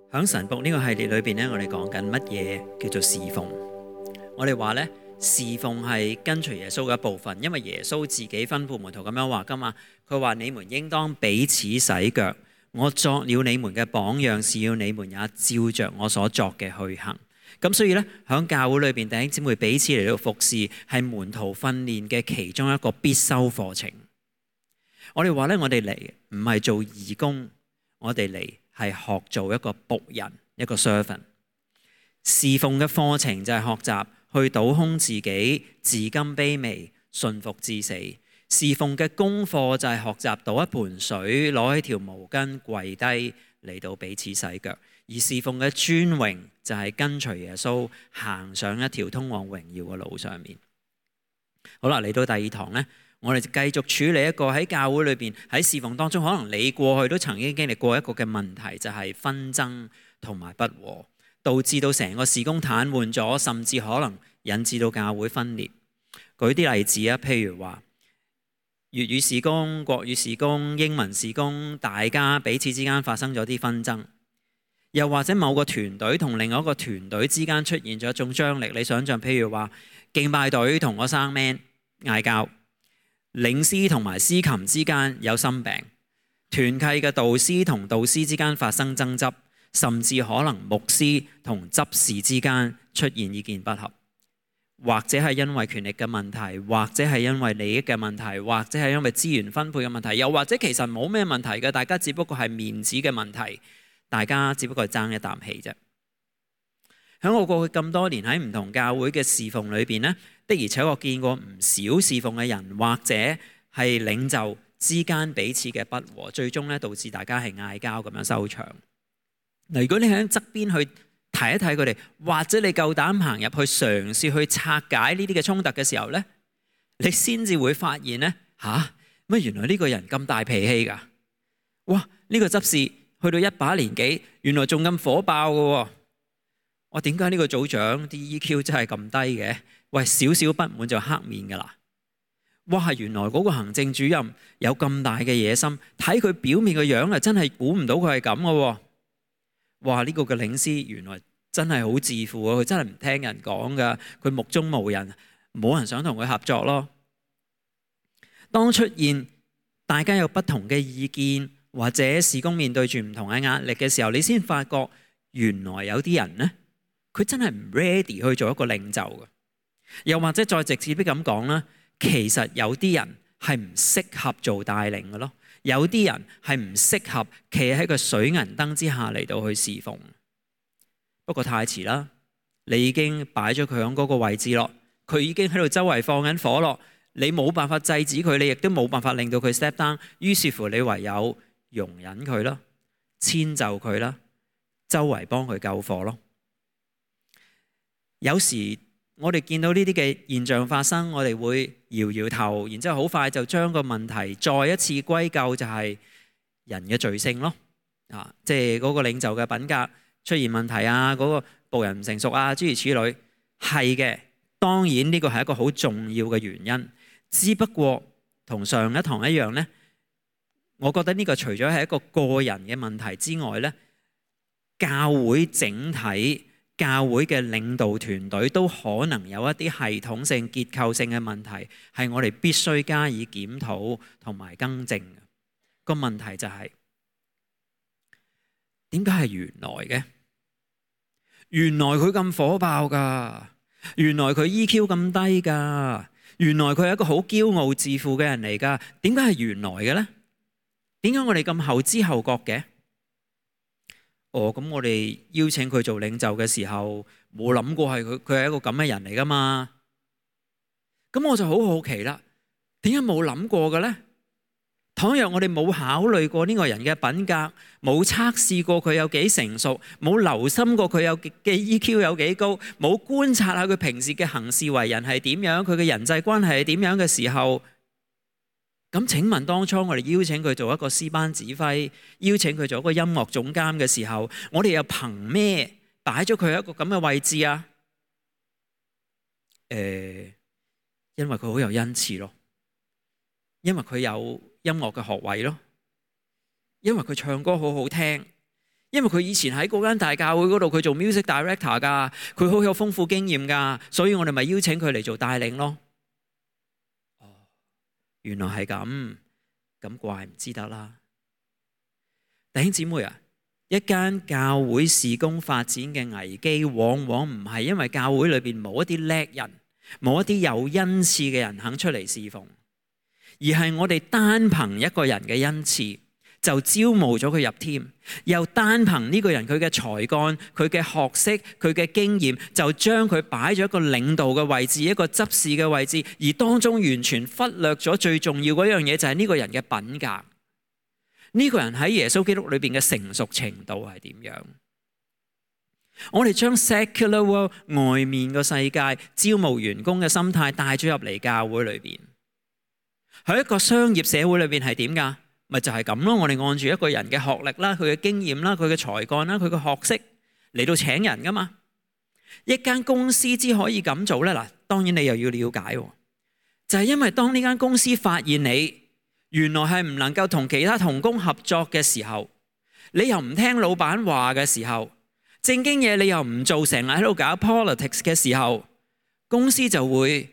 喺神僕呢個系列裏邊咧，我哋講緊乜嘢叫做侍奉？我哋話咧，侍奉係跟隨耶穌嘅一部分，因為耶穌自己吩咐門徒咁樣話噶嘛。佢話：你們應當彼此洗腳，我作了你們嘅榜樣，是要你們也照着我所作嘅去行。咁所以咧，喺教會裏邊，弟兄姊妹彼此嚟到服侍，係門徒訓練嘅其中一個必修課程。我哋話咧，我哋嚟唔係做義工，我哋嚟係學做一個僕人，一個 servant。侍奉嘅課程就係學習去倒空自己，自甘卑微，順服至死。侍奉嘅功課就係學習倒一盆水，攞起條毛巾，跪低嚟到彼此洗腳。而侍奉嘅尊榮就係跟隨耶穌行上一條通往榮耀嘅路上面。好啦，嚟到第二堂呢，我哋就繼續處理一個喺教會裏邊喺侍奉當中，可能你過去都曾經經歷過一個嘅問題，就係紛爭同埋不和，導致到成個事工癱瘓咗，甚至可能引致到教會分裂。舉啲例子啊，譬如話粵語事工、國語事工、英文事工，大家彼此之間發生咗啲紛爭，又或者某個團隊同另外一個團隊之間出現咗一種張力。你想象譬如話敬拜隊同個生 man 嗌交，領詩同埋司琴之間有心病，團契嘅導師同導師之間發生爭執，甚至可能牧師同執事之間出現意見不合，或者係因為權力嘅問題，或者係因為利益嘅問題，或者係因為資源分配嘅問題，又或者其實冇咩問題嘅，大家只不過係面子嘅問題，大家只不過係爭一啖氣啫。喺我過去咁多年喺唔同教會嘅侍奉裏邊呢，的而且確見過唔少侍奉嘅人或者係領袖之間彼此嘅不和，最終咧導致大家係嗌交咁樣收場。嗱，如果你喺側邊去睇一睇佢哋，或者你夠膽行入去嘗試去拆解呢啲嘅衝突嘅時候呢，你先至會發現呢，乜原來呢個人咁大脾氣㗎？哇！呢個執事去到一把年紀，原來仲咁火爆㗎喎。我點解呢個組長啲 EQ 真係咁低嘅？喂，少少不滿就黑面㗎啦！哇，原來嗰個行政主任有咁大嘅野心，睇佢表面嘅樣啊，真係估唔到佢係咁嘅喎。哇，呢個嘅領詩原來真係好自負啊！佢真係唔聽人講㗎，佢目中無人，冇人想同佢合作咯。當出現大家有不同嘅意見，或者事工面對住唔同嘅壓力嘅時候，你先發覺原來有啲人呢，佢真係唔 ready 去做一個領袖嘅。又或者再直接啲咁講啦，其實有啲人係唔適合做帶領嘅咯，有啲人係唔適合企喺個水銀燈之下嚟到去侍奉。不過太遲啦，你已經擺咗佢喺嗰個位置咯，佢已經喺度周圍放緊火咯，你冇辦法制止佢，你亦都冇辦法令到佢 step down， 於是乎你唯有容忍佢啦，遷就佢啦，周圍幫佢救火咯。有時我哋見到呢啲嘅現象發生，我哋會搖搖頭，然之後好快就將個問題再一次歸咎就係人嘅罪性咯。即係嗰個領袖嘅品格出現問題啊，嗰個僕人唔成熟啊，諸如此類。係嘅，當然呢個係一個好重要嘅原因。只不過同上一堂一樣呢，我覺得呢個除咗係一個個人嘅問題之外呢，教會整體，教會嘅領導團隊都可能有一啲系統性、結構性嘅問題，係我哋必須加以檢討同埋更正嘅。個問題就係點解係原來嘅？原來佢咁火爆㗎，原來佢 EQ 咁低㗎，原來佢係一個好驕傲自負嘅人嚟㗎。點解係原來嘅呢？點解我哋咁後知後覺嘅？咁我哋邀請佢做領袖嘅時候，冇諗過係佢係一個咁嘅人嚟噶嘛？咁我就好好奇啦，點解冇諗過嘅呢？倘若我哋冇考慮過呢個人嘅品格，冇測試過佢有幾成熟，冇留心過佢嘅 EQ 有幾高，冇觀察下佢平時嘅行事為人係點樣，佢嘅人際關係係點樣嘅時候，咁請問當初我哋邀請佢做一個詩班指揮，邀請佢做一個音樂總監嘅時候，我哋又憑咩擺咗佢一個咁嘅位置啊？因為佢好有恩賜咯，因為佢有音樂嘅學位咯，因為佢唱歌好好聽，因為佢以前喺嗰間大教會嗰度，佢做 music director 㗎，佢好有豐富經驗㗎，所以我哋咪邀請佢嚟做帶領咯。哦，原來係咁，咁怪唔知得啦。弟兄姊妹啊，一間教會事工發展嘅危機，往往唔係因為教會裏邊冇一啲叻人，冇一啲有恩賜嘅人肯出嚟侍奉，而係我哋單憑一個人嘅恩賜就招募咗佢入 team，又單憑呢個人佢嘅才幹、佢嘅學識、佢嘅經驗，就將佢擺咗一個領導嘅位置、一個執事嘅位置，而當中完全忽略咗最重要嗰樣嘢，就係呢個人嘅品格。呢個人喺耶穌基督裏邊嘅成熟程度係點樣？我哋將 secular world 外面個世界招募員工嘅心態帶咗入嚟教會裏邊，喺一個商業社會裏邊係點㗎？咪就係咁咯。我哋按住一個人嘅學歷啦、佢嘅經驗啦、佢嘅才幹啦、佢嘅學識嚟到請人㗎嘛。一間公司之可以咁做咧，嗱，當然你又要了解，就係因為當呢間公司發現你原來係唔能夠同其他同工合作嘅時候，你又唔聽老闆話嘅時候，正經嘢你又唔做，成日喺度搞 politics 嘅時候，公司就會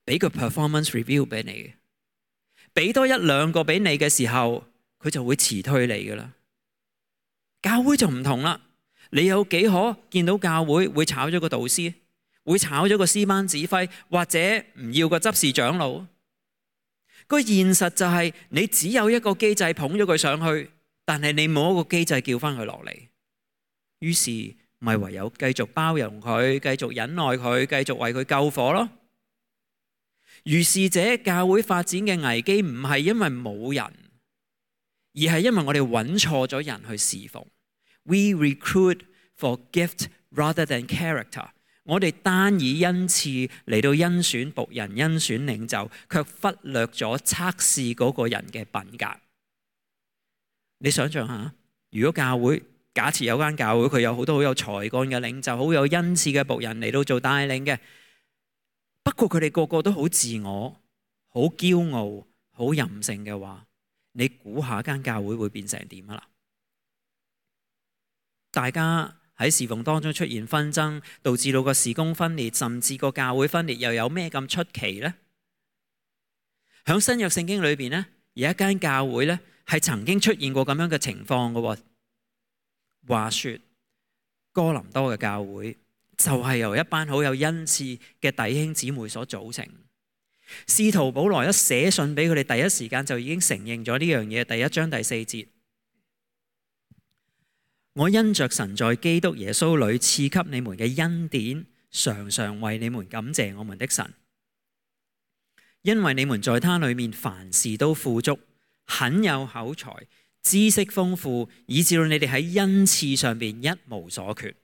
俾個 performance review 俾你，俾多一兩個俾你嘅時候，佢就會辭退你噶啦。教會就唔同啦，你有幾可見到教會會炒咗個導師，會炒咗個詩班指揮，或者唔要個執事長老？個現實就係你只有一個機制捧咗佢上去，但係你冇一個機制叫翻佢落嚟，於是咪唯有繼續包容佢，繼續忍耐佢，繼續為佢救火咯。如是者，教會發展嘅危機唔係因為冇人，而係因為我哋揾錯咗人去侍奉。We recruit for gift rather than character。我哋單以恩賜嚟到甄選僕人、甄選領袖，卻忽略咗測試嗰個人嘅品格。你想象下，如果教會假設有間教會，佢有好多好有才幹嘅領袖，好有恩賜嘅僕人嚟到做帶領嘅，不過佢哋個個都好自我、好驕傲、好任性嘅話，你估下間教會會變成點啊啦？大家喺侍奉當中出現紛爭，導致到個事工分裂，甚至個教會分裂，又有咩咁出奇呢？喺新約聖經裏邊呢，有一間教會呢係曾經出現過咁樣嘅情況嘅。話說哥林多嘅教會就係由一班好有恩賜嘅弟兄姊妹所組成。使徒保羅一寫信俾佢哋，第一時間就已經承認咗呢樣嘢。第一章第4節。我因着神在基督耶穌裏賜給你們嘅恩典，常常為你們感謝我們的神，因為你們在他裏面凡事都富足，很有口才，知識豐富，以致到你哋喺恩賜上邊一無所缺。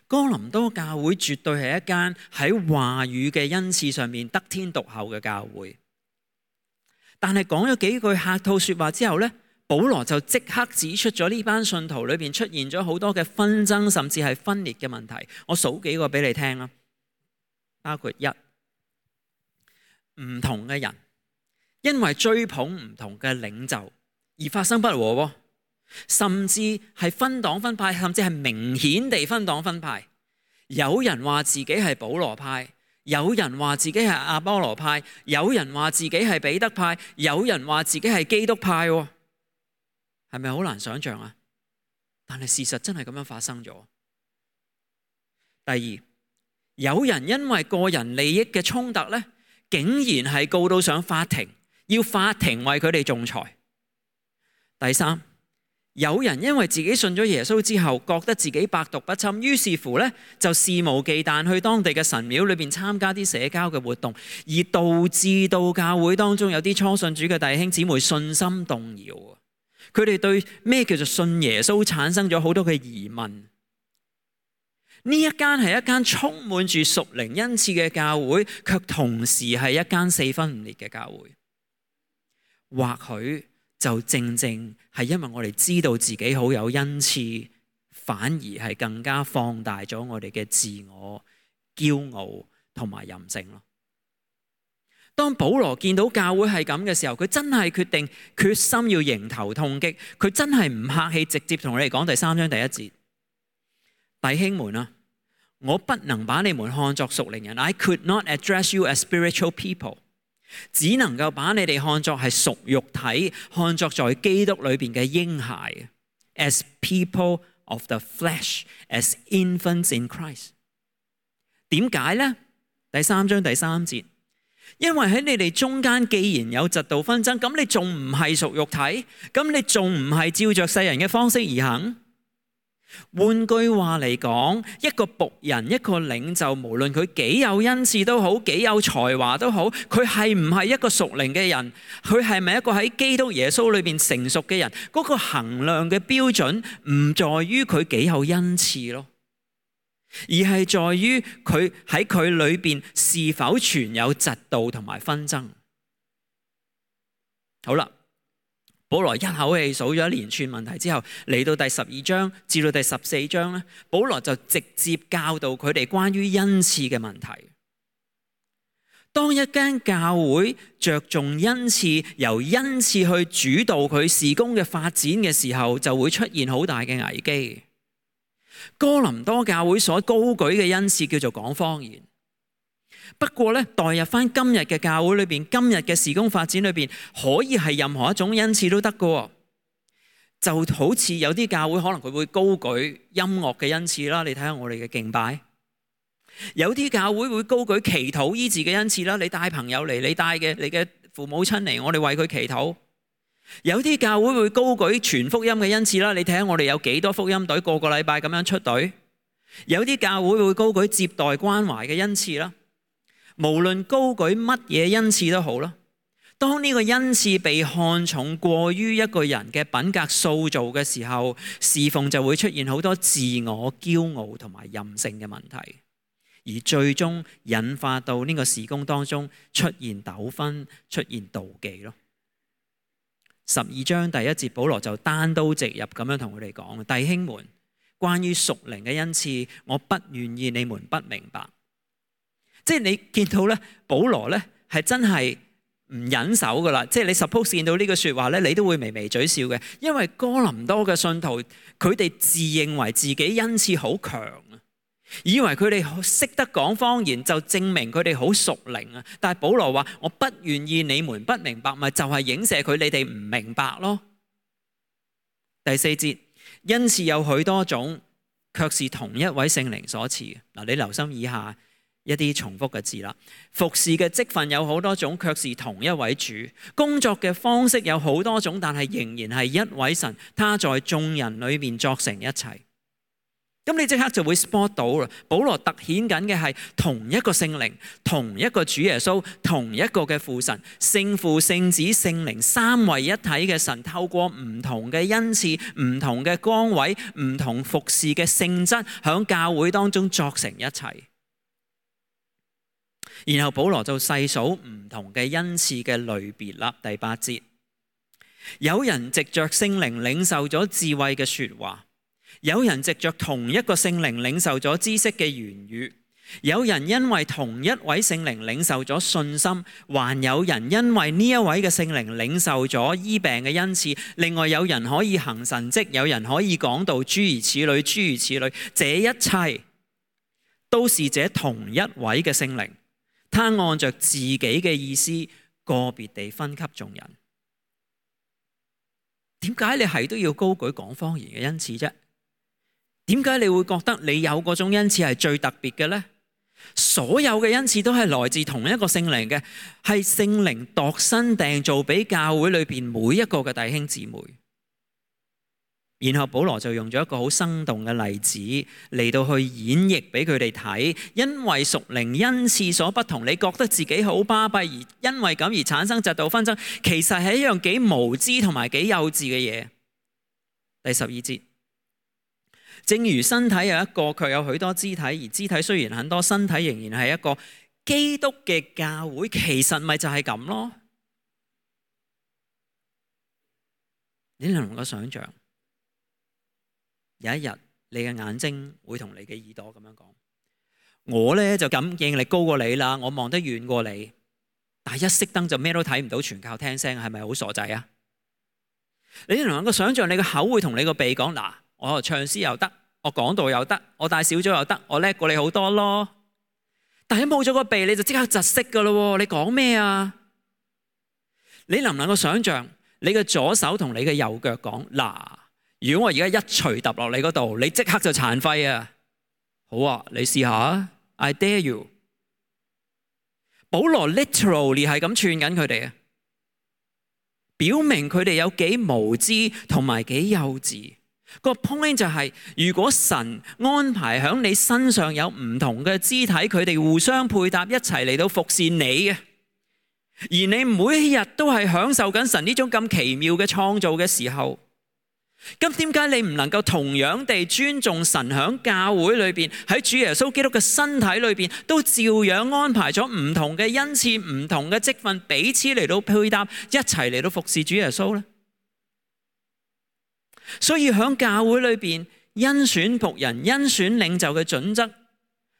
哥林多教會絕對係一間喺話語嘅恩賜上面得天獨厚嘅教會，但係講咗幾句客套說話之後呢，保羅就即刻指出咗呢班信徒裏邊出現咗好多嘅紛爭，甚至係分裂嘅問題。我數幾個俾你聽啦，包括一，唔同嘅人因為追捧唔同嘅領袖而發生不和，甚至係分黨分派，甚至係明顯地分黨分派。有人話自己係保羅派，有人話自己係阿波羅派，有人話自己係彼得派，有人話自己係基督派。係咪好難想象啊？但係事實真係咁樣發生咗。第二，有人因為個人利益嘅衝突呢，竟然係告到上法庭，要法庭為佢哋仲裁。第三，有人因為自己信咗耶穌之後，覺得自己百毒不侵，於是乎呢，就肆無忌憚去當地嘅神廟裏邊參加啲社交嘅活動，而導致到教會當中有啲初信主嘅弟兄姊妹信心動搖。佢哋對咩叫做信耶穌產生咗好多嘅疑問。呢一間係一間充滿住屬靈恩賜嘅教會，卻同時係一間四分五裂嘅教會。或許就正正係因為我哋知道自己好有恩賜，反而係更加放大咗我哋嘅自我、驕傲同埋任性咯。當保羅見到教會係咁嘅時候，佢真係決心要迎頭痛擊，佢真係唔客氣，直接同你哋講第3章第1節，弟兄們啊，我不能把你們看作屬靈人 ，I could not address you as spiritual people， 只能夠把你哋看作係屬肉體，看作在基督裏邊嘅嬰孩 ，as people of the flesh, as infants in Christ。點解呢？第3章第3節。因為喺你哋中間既然有嫉妒紛爭，咁你仲唔係屬肉體？咁你仲唔係照着世人嘅方式而行？換句話嚟講，一個僕人、一個領袖，無論佢幾有恩賜都好，幾有才華都好，佢係唔係一個屬靈嘅人？佢係咪一個喺基督耶穌裏邊成熟嘅人？嗰個衡量嘅標準唔在於佢幾有恩賜咯，而係在於佢喺佢裏邊是否存有嫉妒同埋紛爭。好啦，保羅一口氣數咗一連串問題之後，嚟到第12章至到第14章咧，保羅就直接教導佢哋關於恩賜嘅問題。當一間教會着重恩賜，由恩賜去主導佢事工嘅發展嘅時候，就會出現好大嘅危機。哥林多教會所高舉嘅恩賜叫做講方言，不過咧，代入翻今日嘅教會裏邊，今日嘅事工發展裏邊，可以係任何一種恩賜都得㗎。就好似有啲教會可能佢會高舉音樂嘅恩賜啦，你睇下我哋嘅敬拜；有啲教會會高舉祈禱醫治嘅恩賜啦，你帶朋友嚟，你帶嘅你嘅父母親嚟，我哋為佢祈禱。有啲教會會高舉傳福音嘅恩賜啦，你睇下我哋有幾多福音隊個個禮拜咁樣出隊。有啲教會會高舉接待關懷嘅恩賜啦。無論高舉乜嘢恩賜都好啦，當呢個恩賜被看重過於一個人嘅品格塑造嘅時候，侍奉就會出現好多自我、驕傲同埋任性嘅問題，而最終引發到呢個事工當中出現糾紛、出現妒忌咯。12章第1節，保羅就單刀直入咁樣同佢哋講：弟兄們，關於屬靈嘅恩賜，我不願意你們不明白。即係你見到咧，保羅咧係真係唔忍手噶啦。即係你 suppose 見到呢個說話咧，你都會微微嘴笑嘅，因為哥林多嘅信徒佢哋自認為自己恩賜好強啊，以為佢哋識得講方言就證明佢哋好屬靈啊。但係保羅話：我不願意你們不明白，咪就係影射佢你哋唔明白咯。第4節，恩賜有許多種，卻是同一位聖靈所賜。嗱，你留心以下一啲重複嘅字啦。服侍嘅職分有好多種，卻是同一位主；工作嘅方式有好多種，但係仍然係一位神，他在眾人裏面作成一切。咁你即刻就會 spot 到啦。保羅突顯緊嘅係同一個聖靈，同一個主耶穌，同一個嘅父神，聖父、聖子、聖靈三位一體嘅神，透過唔同嘅恩賜、唔同嘅崗位、唔同服侍嘅性質，響教會當中作成一切。然後保羅就細數唔同嘅恩賜嘅類別啦。第8節，有人藉着聖靈領受咗智慧嘅說話，有人藉着同一個聖靈領受咗知識嘅言語，有人因為同一位聖靈領受咗信心，還有人因為呢一位嘅聖靈領受咗醫病嘅恩賜。另外有人可以行神蹟，有人可以講道，諸如此類，諸如此類。這一切都是這同一位嘅聖靈，他按着自己嘅意思個別地分給眾人。點解你係都要高舉講方言嘅恩賜啫？點解你會覺得你有嗰種恩賜係最特別嘅呢？所有嘅恩賜都係來自同一個聖靈嘅，係聖靈度身訂造俾教會裏邊每一個嘅弟兄姊妹。然後保羅就用咗一個好生動嘅例子嚟到去演繹俾佢哋睇，因為屬靈恩賜所不同，你覺得自己好巴閉，而因為咁而產生嫉妒紛爭，其實係一樣幾無知同埋幾幼稚嘅嘢。第12節，正如身體有一個，卻有許多肢體，而肢體雖然很多，身體仍然係一個。基督嘅教會其實咪就係咁咯？你能唔能夠想象？有一日，你嘅眼睛會同你嘅耳朵咁樣講：我呢就感應力高過你啦，我望得遠過你。但係一熄燈就咩都睇唔到，全靠聽聲，係咪好傻仔啊？你能夠想象你個口會同你個鼻講，嗱，我唱詩又得，我講道又得，我帶小組又得，我叻過你好多咯。但係冇咗個鼻，你就即刻窒息噶咯。你講咩啊？你能唔能夠想象你嘅左手同你嘅右腳講，嗱，如果我而家一錘揼落你嗰度，你即刻就殘廢啊！好啊，你試下 I dare you。保羅 literally 係咁串緊佢哋啊，表明佢哋有幾無知同埋幾幼稚。個 point 就係，如果神安排喺你身上有唔同嘅肢體，佢哋互相配搭一齊嚟到服侍你嘅，而你每一日都係享受緊神呢種咁奇妙嘅創造嘅時候，咁點解你唔能夠同樣地尊重神喺教會裏邊，喺主耶穌基督嘅身體裏邊，都照樣安排咗唔同嘅恩賜、唔同嘅職分，彼此嚟到配搭，一齊嚟到服侍主耶穌呢？所以喺教會裏邊，甄選僕人、甄選領袖嘅準則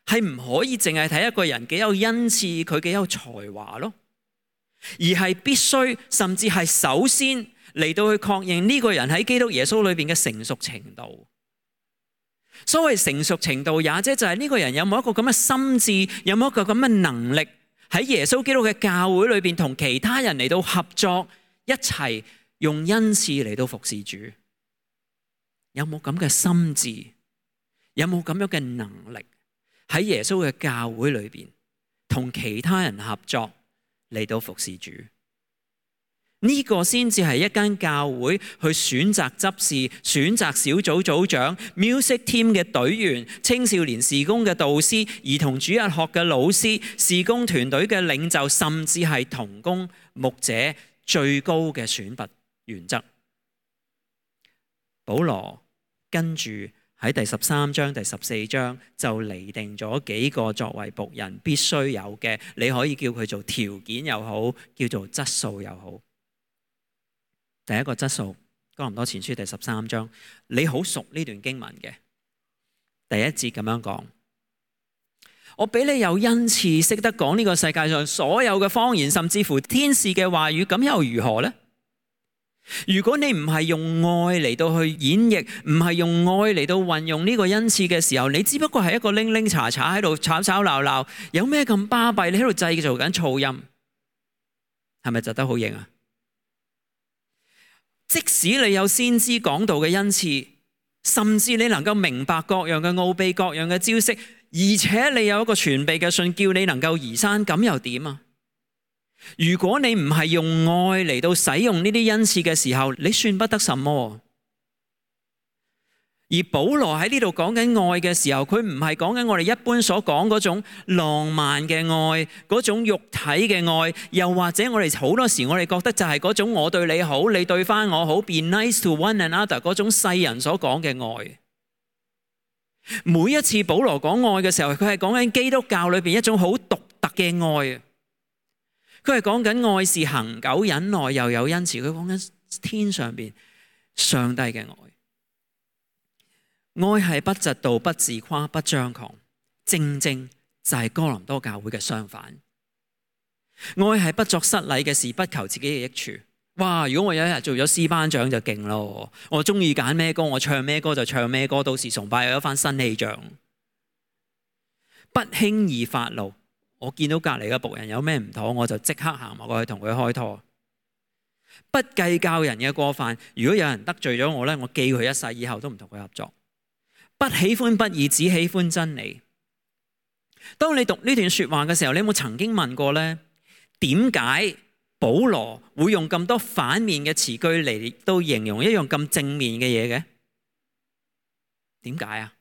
係唔可以淨係睇一個人幾有恩賜，佢幾有才華咯，而係必須甚至係首先嚟到去確認呢個人喺基督耶穌裏邊嘅成熟程度。所謂成熟程度，也即就係呢個人有冇一個咁嘅心智，有冇一個咁嘅能力，喺耶穌基督嘅教會裏邊同其他人嚟到合作，一齊用恩賜嚟到服侍主。有冇咁嘅心智？有冇咁樣嘅能力喺耶穌嘅教會裏邊同其他人合作嚟到服侍主？呢個先至係一間教會去選擇執事、選擇小組組長、music team 嘅隊員、青少年事工嘅導師、兒童主日學嘅老師、事工團隊嘅領袖，甚至係同工牧者最高嘅選拔原則。保羅跟住喺第13章、第14章就釐定咗幾個作為僕人必須有嘅，你可以叫佢做條件又好，叫做質素又好。第一個質素，哥林多前書第13章，你好熟呢段經文嘅第一節咁樣講：我俾你有恩賜，識得講呢個世界上所有嘅方言，甚至乎天使嘅話語，咁又如何呢？如果你唔係用愛嚟到去演繹，唔係用愛嚟到運用呢個恩賜嘅時候，你只不過係一個拎拎查查喺度吵吵鬧鬧，有咩咁巴閉？你喺度製造緊噪音，係咪窒得好型啊？即使你有先知講道嘅恩賜，甚至你能夠明白各樣嘅奧秘、各樣嘅招式，而且你有一個傳秘嘅信，叫你能夠移山，咁又點啊？如果你唔係用愛嚟到使用呢啲恩賜嘅時候，你算不得什麼。而保羅喺呢度講緊愛嘅時候，佢唔係講緊我哋一般所講嗰種浪漫嘅愛，嗰種肉體嘅愛，又或者我哋好多時我哋覺得就係嗰種我對你好，你對翻我好， be nice to one another 嗰種世人所講嘅愛。每一次保羅講愛嘅時候，佢係講緊基督教裏邊一種好獨特嘅愛。佢係講緊愛是恆久忍耐，又有恩慈。佢講緊天上邊上帝嘅愛。愛係不嫉妒、不自誇、不張狂，正正就係哥林多教會嘅相反。愛係不作失禮嘅事，不求自己嘅益處。哇！如果我有一日做咗詩班長就勁咯，我中意揀咩歌，我唱咩歌就唱咩歌，到時崇拜有一番新氣象。不輕易發怒。我見到隔離嘅僕人有咩唔妥，我就即刻行埋過去同佢開拖。不計較人嘅過犯，如果有人得罪咗我呢，我記佢一世，以後都唔同佢合作。不喜歡不義，只喜歡真理。當你讀呢段說話嘅時候，你有冇曾經問過呢？點解保羅會用咁多反面嘅詞句嚟到形容一樣咁正面嘅嘢嘅？點解啊？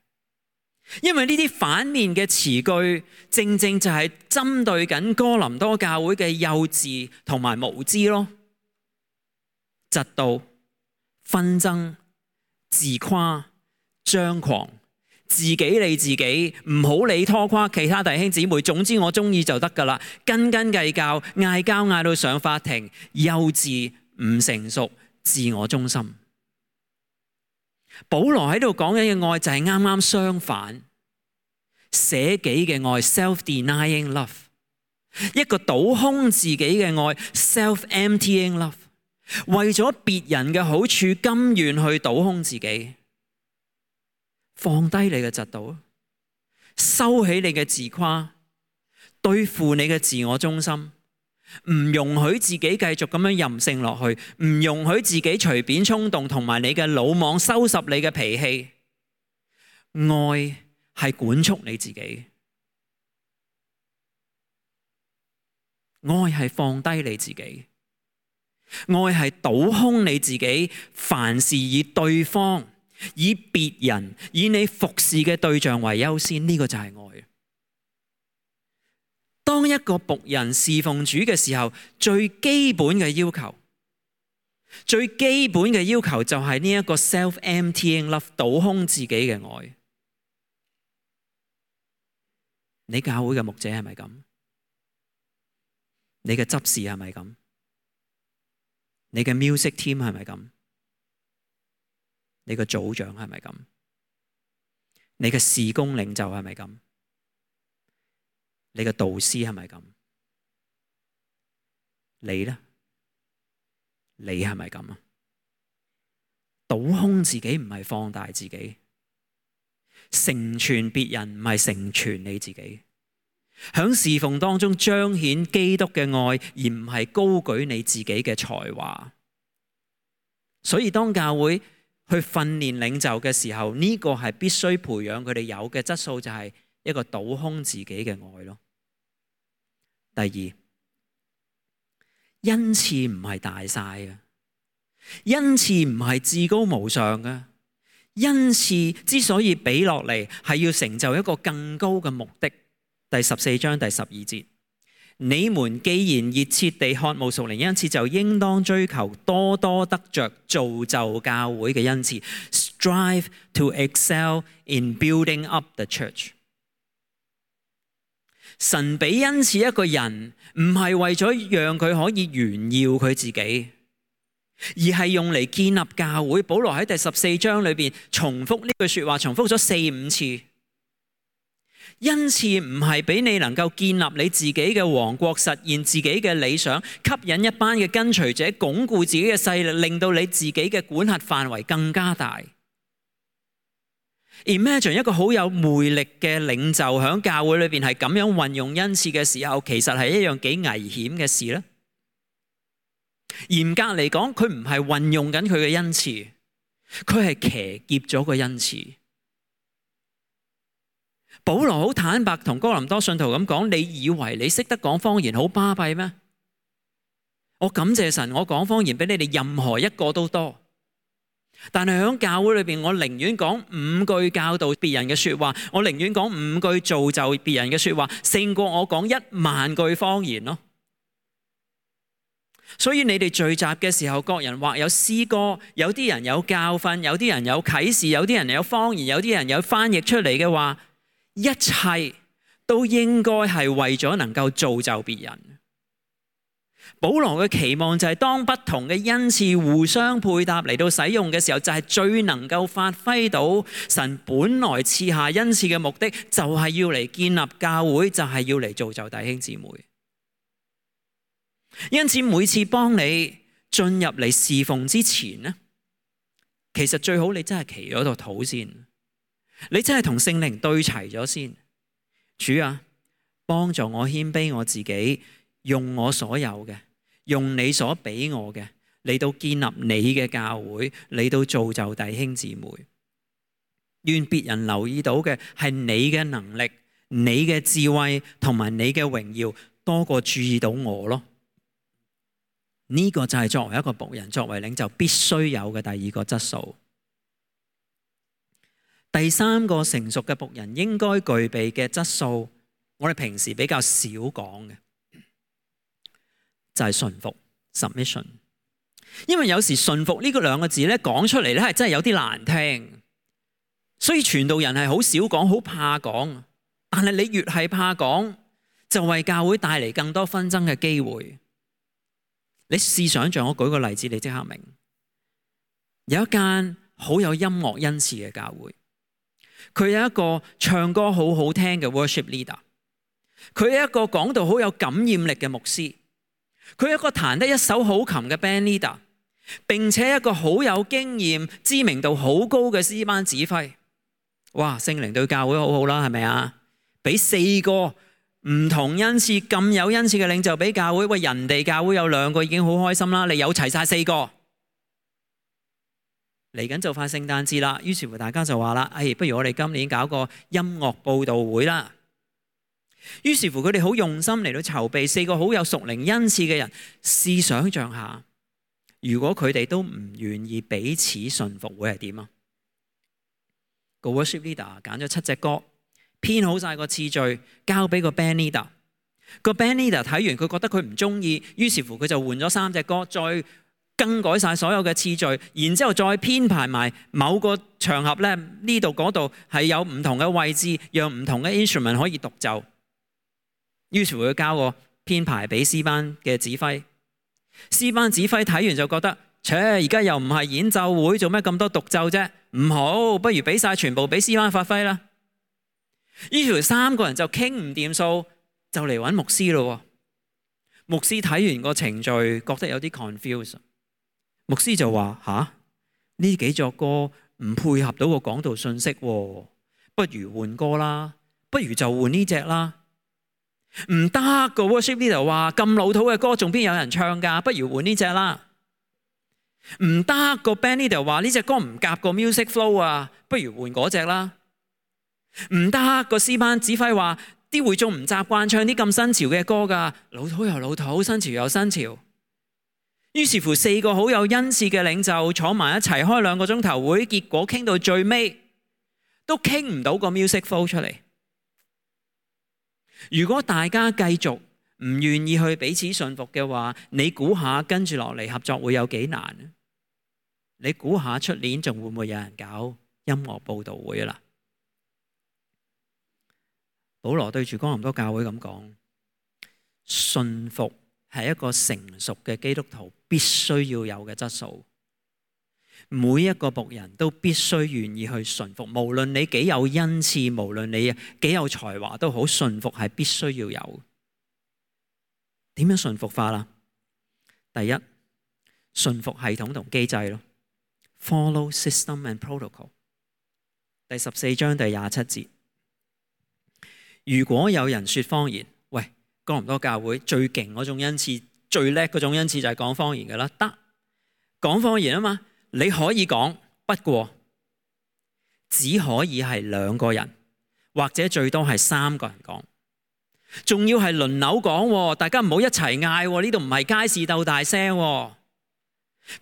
因為呢啲反面嘅詞句，正正就係針對緊哥林多教會嘅幼稚同埋無知咯。嫉妒、紛爭、自誇、張狂、自己理自己，唔好理拖垮其他弟兄姊妹。總之我中意就得噶啦，斤斤計較，嗌交嗌到上法庭，幼稚、唔成熟、自我中心。保羅喺度講緊嘅愛就係啱啱相反，捨己嘅愛 （self-denying love），一個倒空自己嘅愛 ，self-emptying love， 為咗別人嘅好處，甘願去倒空自己，放低你嘅嫉妒，收起你嘅自誇，對付你嘅自我中心，唔容許自己繼續咁樣任性落去，唔容許自己隨便衝動，同埋你嘅魯莽收拾你嘅脾氣。愛係管束你自己。愛係放低你自己，愛係倒空你自己，凡事以對方、以別人、以你服侍嘅對象為優先，呢個就係愛。當一個僕人侍奉主嘅時候，最基本嘅要求，最基本嘅要求就係呢一個 self-emptying love， 倒空自己嘅愛。你教會嘅牧者係咪咁？你嘅執事係咪咁？你嘅 music team 係咪咁？你嘅組長係咪咁？你嘅事工領袖係咪咁？你嘅導師係咪咁？你呢？你係咪咁啊？倒空自己唔係放大自己，成全別人唔係成全你自己。喺侍奉當中彰顯基督嘅愛，而唔係高舉你自己嘅才華。所以當教會去訓練領袖嘅時候，呢個係必須培養佢哋有嘅質素，就係一個倒空自己嘅愛咯。第二，恩賜唔係大晒嘅，恩賜唔係至高無上嘅，恩賜之所以俾落嚟，係要成就一個更高嘅目的。第14章第12節，你們既然熱切地渴慕屬靈恩賜，就應當追求多多得着造就教會嘅恩賜。Strive to excel in building up the church。神俾恩賜一個人，唔係為咗讓佢可以炫耀佢自己，而係用嚟建立教會。保羅喺第14章裏邊重複呢句說話，重複咗4-5次。恩賜唔係俾你能夠建立你自己嘅王國，實現自己嘅理想，吸引一班嘅跟隨者，鞏固自己嘅勢力，令到你自己嘅管轄範圍更加大。Imagine 一個好有魅力嘅領袖喺教會裏邊係咁樣運用恩賜嘅時候，其實係一樣幾危險嘅事咧。嚴格嚟講，佢唔係運用緊佢嘅恩賜，佢係騎劫咗個恩賜。保羅好坦白同哥林多信徒咁講，你以為你識得講方言好巴閉咩？我感謝神，我講方言比你哋任何一個都多。但係喺教會裏邊，我寧願講5句教導別人嘅說話，我寧願講5句造就別人嘅說話，勝過我講10000句方言咯。所以你哋聚集嘅時候，各人或有詩歌，有啲人有教訓，有啲人有啟示，有啲人有方言，有啲人有翻譯出嚟嘅話，一切都應該係為咗能夠造就別人。保羅嘅期望就係當不同嘅恩賜互相配搭嚟到使用嘅時候，就係最能夠發揮到神本來賜下恩賜嘅目的，就係要嚟建立教會，就係要嚟造就弟兄姊妹。因此每次幫你進入嚟侍奉之前呢，其實最好你真係祈咗度禱先，你真係同聖靈對齊咗先。主啊，幫助我謙卑我自己，用我所有嘅，用你所俾我嘅嚟到建立你嘅教會，嚟到造就弟兄姊妹。願別人留意到嘅係你嘅能力、你嘅智慧同埋你嘅榮耀，多過注意到我咯。呢個就係作為一個僕人、作為領袖必須有嘅第二個質素。第三個成熟嘅僕人應該具備嘅質素，我哋平時比較少講嘅，就係順服 submission。因為有時順服呢個兩個字咧講出嚟咧係真係有啲難聽，所以傳道人係好少講，好怕講。但係你越係怕講，就為教會帶嚟更多紛爭嘅機會。你試想像，我舉個例子，你即刻明。有一間好有音樂恩賜嘅教會，佢有一個唱歌好好聽嘅 worship leader。佢係一個講道好有感染力嘅牧師，佢係一個彈得一手好琴嘅 band leader， 並且一個好有經驗、知名度好高嘅詩班指揮。哇！聖靈對教會好好啦，係咪啊？俾4個唔同恩賜咁有恩賜嘅領袖俾教會，喂，人哋教會有2個已經好開心啦，你有齊晒4個。嚟緊就快聖誕節啦，於是乎大家就話啦，不如我哋今年搞個音樂佈道會啦。於是乎佢哋好用心嚟到籌備4個好有屬靈恩賜嘅人。試想像下，如果佢哋都唔願意彼此順服，會係點啊？個 worship leader 揀咗7隻歌，編好晒個次序，交俾個 band leader。個 band leader 睇完，佢覺得佢唔中意，於是乎佢就換咗3隻歌，再更改晒所有嘅次序，然之後再編排埋某個場合咧，呢度嗰度係有唔同嘅位置，讓唔同嘅 instrument 可以獨奏。於是乎佢交個編排俾詩班嘅指揮。詩班指揮睇完就覺得，而家又唔係演奏會，做咩咁多獨奏啫？唔好，不如俾晒全部俾詩班發揮啦。於是3個人就傾唔掂數，就嚟揾牧師咯。牧師睇完個程序，覺得有啲 confuse。牧師就話：呢幾隻歌唔配合到個講道信息，不如換歌啦，不如就換呢隻啦。唔得，個 worship leader 話咁老土嘅歌仲邊有人唱㗎？不如換呢隻啦。唔得，個 band leader 話呢隻歌唔夾個 music flow 啊，不如換嗰隻啦。唔得，個詩班指揮話啲會眾唔習慣唱啲咁新潮嘅歌㗎，老土又老土，新潮又新潮。於是乎4個好有恩賜嘅領袖坐埋一齊開2個鐘頭會，結果傾到最尾都傾唔到個 music flow 出嚟。如果大家繼續唔願意去彼此信服嘅話，你估下跟住落嚟合作會有幾難？你估下出年仲會唔會有人搞音樂佈道會啊？保羅對住哥林多教會咁講，信服係一個成熟嘅基督徒必須要有嘅質素。每一個僕人都必須願意去順服，無論你幾有恩賜，無論你幾有才華都好，順服係必須要有。點樣順服法啦？第一，順服系統同機制咯 ，follow system and protocol。第14章第27節，如果有人說方言，喂，哥林多教會最勁嗰種恩賜，最叻嗰種恩賜就係講方言㗎啦，得講方言啊嘛。你可以講，不過只可以係2個人，或者最多係3個人講，仲要係輪流講，大家唔好一齊嗌，呢度唔係街市鬥大聲，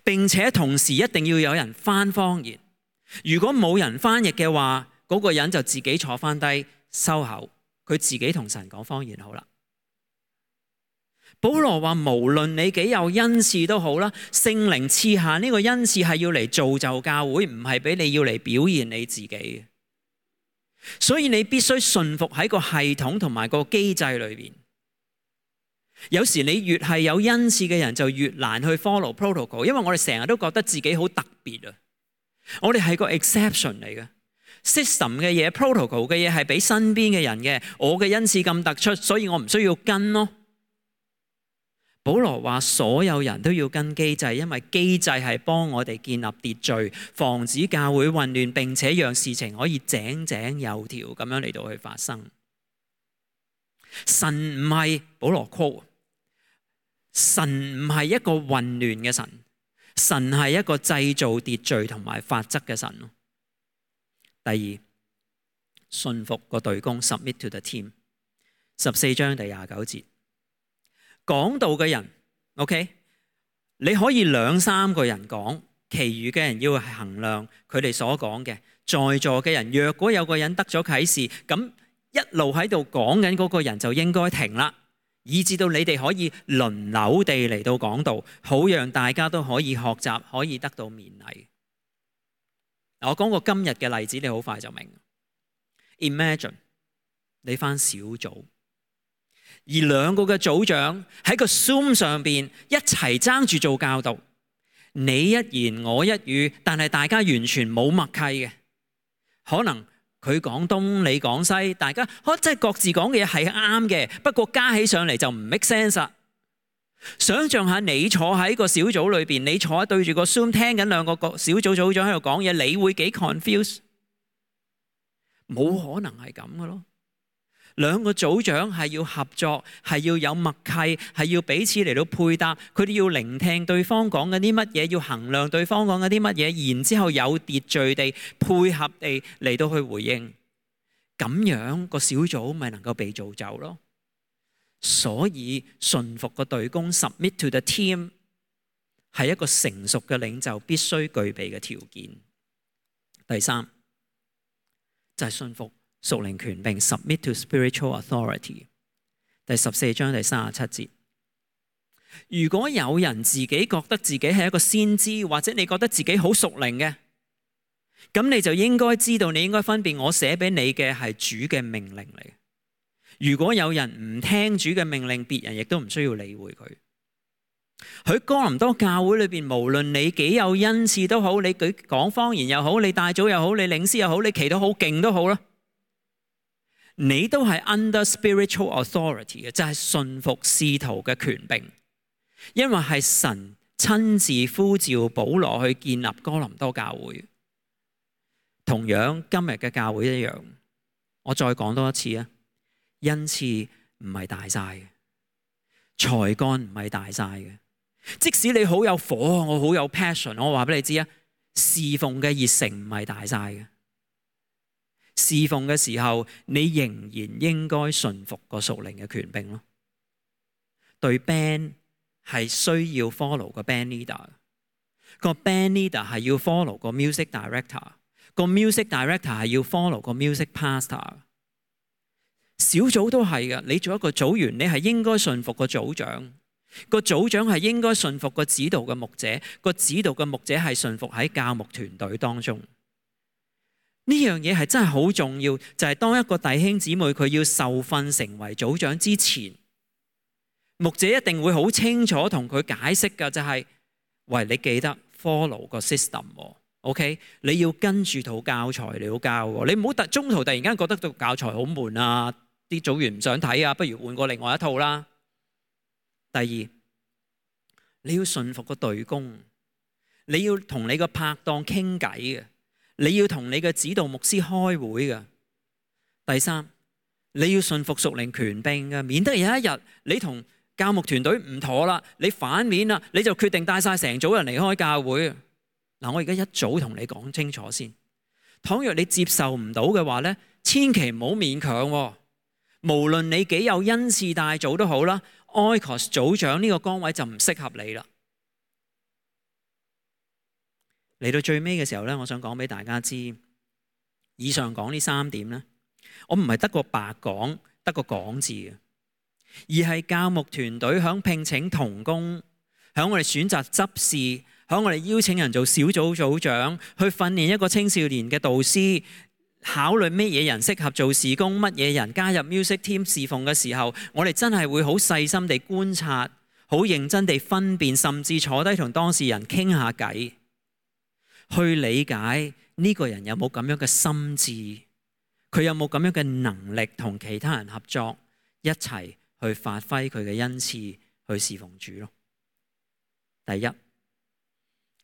並且同時一定要有人翻方言。如果冇人翻譯嘅話，嗰個人就自己坐翻低收口，佢自己同神講方言好啦。保羅話無論你幾有恩賜都好啦，聖靈賜下呢個恩賜係要嚟造就教會，唔係俾你要嚟表現你自己。所以你必須順服喺個系統同埋個機制裏邊。有時你越係有恩賜嘅人就越難去 follow protocol， 因為我哋成日都覺得自己好特別啊，我哋係個 exception 嚟嘅。system 嘅嘢 protocol 嘅嘢係俾身邊嘅人嘅，我嘅恩賜咁突出，所以我唔需要跟咯。保羅話所有人都要跟機制，因為機制係幫我哋建立秩序，防止教會混亂，並且讓事情可以井井有條咁樣嚟到去發生。神唔係保羅 quote，神唔係一個混亂嘅神，神係一個製造秩序同埋法則嘅神。第二，順服個隊工 submit to the team。14章第29節。講道嘅人 ，OK， 你可以2-3個人講，其餘嘅人要衡量佢哋所講嘅。在座嘅人，若果有個人得咗啟示，咁一路喺度講緊嗰個人就應該停啦，以至到你哋可以輪流地嚟到講道，好讓大家都可以學習，可以得到勉勵。我講個今日嘅例子，你好快就明。Imagine 你返小組。而2個嘅組長喺個 Zoom 上邊一齊爭住做教導，你一言我一語，但係大家完全冇默契嘅，可能佢講東，你講西，大家即係各自講嘅嘢係啱嘅，不過加起上嚟就唔 make sense 啦。想像下你坐喺個小組裏邊，你坐對住個 Zoom 聽緊兩個小組組長喺度講嘢，你會幾 confuse？ 冇可能係咁嘅咯。兩個組長係要合作，係要有默契，係要彼此嚟到配搭，佢哋要聆聽對方講緊啲乜嘢，要衡量對方講緊啲乜嘢，然之後有秩序地配合地嚟到去回應，咁樣個小組咪能夠被造就咯。所以順服個隊工 submit to the team 係一個成熟嘅領袖必須具備嘅條件。第三就係順服屬靈權柄 submit to spiritual authority。 第14章第37節，如果有人自己覺得自己係一個先知，或者你覺得自己好屬靈嘅，咁你就應該知道，你應該分辨我寫俾你嘅係主嘅命令嚟。如果有人唔聽主嘅命令，別人亦都唔需要理會佢。喺哥林多教會裏邊，無論你幾有恩賜都好，你講方言又好，你帶組又好，你領詩又好，你祈禱好勁都好啦，你都係 under spiritual authority 嘅，就係順服使徒嘅權柄，因為係神親自呼召保羅去建立哥林多教會。同樣今日嘅教會一樣，我再講多一次啊，恩賜唔係大晒嘅，才幹唔係大晒嘅。即使你好有火，我好有 passion， 我話俾你知啊，侍奉嘅熱誠唔係大晒嘅。侍奉嘅時候，你仍然應該順服個屬靈嘅權柄咯。對 band 係需要 follow 個 band leader， 個 band leader 係要 follow 個 music director， 個 music director 係要 follow 個 music pastor。小組都係嘅，你做一個組員，你係應該順服個組長，個組長係應該順服個指導嘅牧者，個指導嘅牧者係順服喺教牧團隊當中。呢樣嘢係真係好重要，就係當一個弟兄姊妹佢要受訓成為組長之前，牧者一定會好清楚同佢解釋㗎，就係喂，你記得 follow 個 system，OK？ 你要跟住套教材嚟到教，你唔好中途突然間覺得套教材好悶啊，啲組員唔想睇啊，不如換過另外一套啦。第二，你要順服個隊工，你要同你個拍檔傾偈嘅，你要同你嘅指導牧師開會嘅。第三，你要順服屬靈權柄嘅，免得有一日你同教牧團隊唔妥啦，你反面啦，你就決定帶晒成組人離開教會。嗱，我而家一早同你講清楚先，倘若你接受唔到嘅話咧，千祈唔好勉強喎。無論你幾有恩賜帶組都好啦，Oikos 組長呢個崗位就唔適合你啦。嚟到最尾嘅時候咧，我想講俾大家知，以上講呢3點咧，我唔係得個白講，得個講字嘅，而係教牧團隊響聘請同工，響我哋選擇執事，響我哋邀請人做小組組長，去訓練一個青少年嘅導師，考慮乜嘢人適合做事工，乜嘢人加入 music team 侍奉嘅時候，我哋真係會好細心地觀察，好認真地分辨，甚至坐低同當事人傾下偈，去理解呢個人有冇咁樣嘅心智，佢有冇咁樣嘅能力同其他人合作，一齊去發揮佢嘅恩賜去侍奉主咯。第一，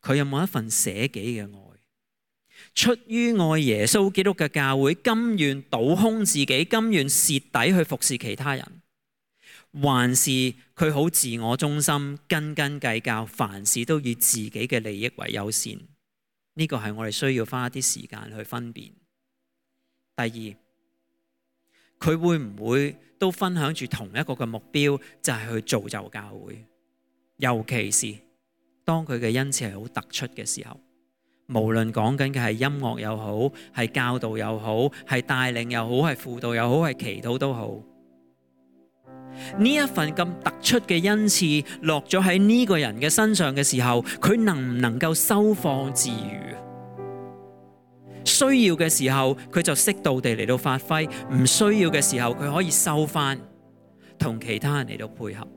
佢有冇一份捨己嘅愛？出於愛耶穌基督嘅教會，甘願倒空自己，甘願蝕底去服侍其他人，還是佢好自我中心，斤斤計較，凡事都以自己嘅利益為優先？呢個係我哋需要花一啲時間去分辨。第二，佢會唔會都分享住同一個嘅目標，就係去造就教會？尤其是當佢嘅恩賜係好突出嘅時候，無論講緊嘅係音樂又好，係教導又好，係帶領又好，係輔導又好，係祈禱都好，呢一份咁突出嘅恩賜落咗喺呢個人嘅身上嘅時候，佢能唔能夠收放自如？需要嘅時候佢就適度地嚟到發揮，唔需要嘅時候佢可以收返，同其他人嚟到配合。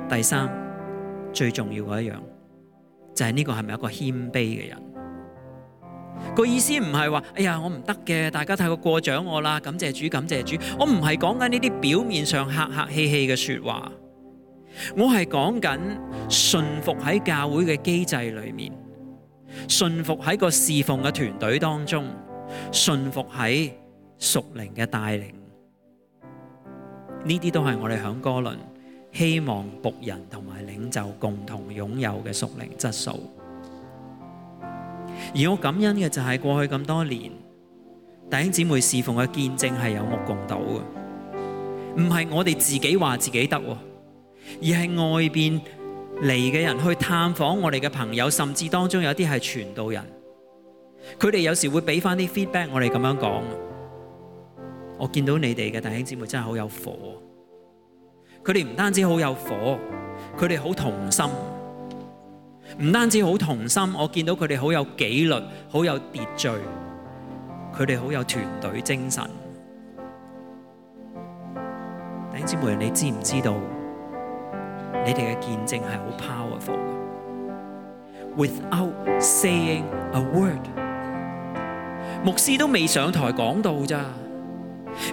第三，最重要嘅一樣就係呢個係咪一個謙卑嘅人？個意思唔係話，哎呀我唔得嘅，大家太過獎我啦，感謝主感謝主。我唔係講緊呢啲表面上客客氣氣嘅說話，我係講緊順服喺教會嘅機制裏面，順服喺個侍奉嘅團隊當中，順服喺屬靈嘅帶領。呢啲都係我哋響哥倫希望僕人同埋領袖共同擁有嘅屬靈質素。而我感恩嘅就係過去咁多年弟兄姊妹侍奉嘅見證係有目共睹嘅，唔係我哋自己話自己得，而係外邊嚟嘅人去探訪我哋嘅朋友，甚至當中有啲係傳道人，佢哋有時會俾翻啲 feedback 我哋咁樣講，我見到你哋嘅弟兄姊妹真係好有火，佢哋唔單止好有火，佢哋好同心。唔單止好同心，我見到佢哋好有紀律，好有秩序，佢哋好有團隊精神。弟兄姊妹，你知唔知道你哋嘅見證係好 powerful 嘅 ？Without saying a word， 牧師都未上台講道咋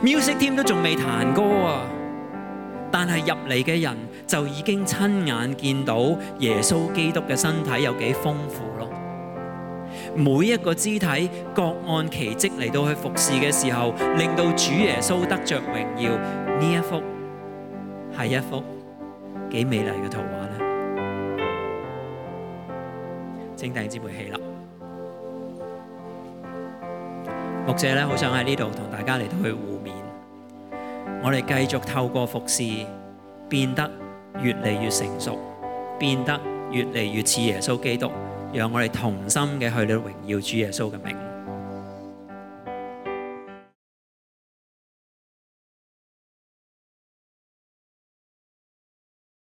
，music team 都仲未彈歌啊！但係入嚟嘅人就已經親眼見到耶穌基督嘅身體有幾豐富咯。每一個肢體各按其職嚟到去服侍嘅時候，令到主耶穌得着榮耀。呢一幅係一幅幾美麗嘅圖畫呢？請弟兄姊妹起立。牧者咧，好想喺呢度同大家嚟到去互勉。我哋繼續透過服侍變得越嚟越成熟，變得越嚟越似耶穌基督，讓我哋同心嘅去到榮耀主耶穌嘅名。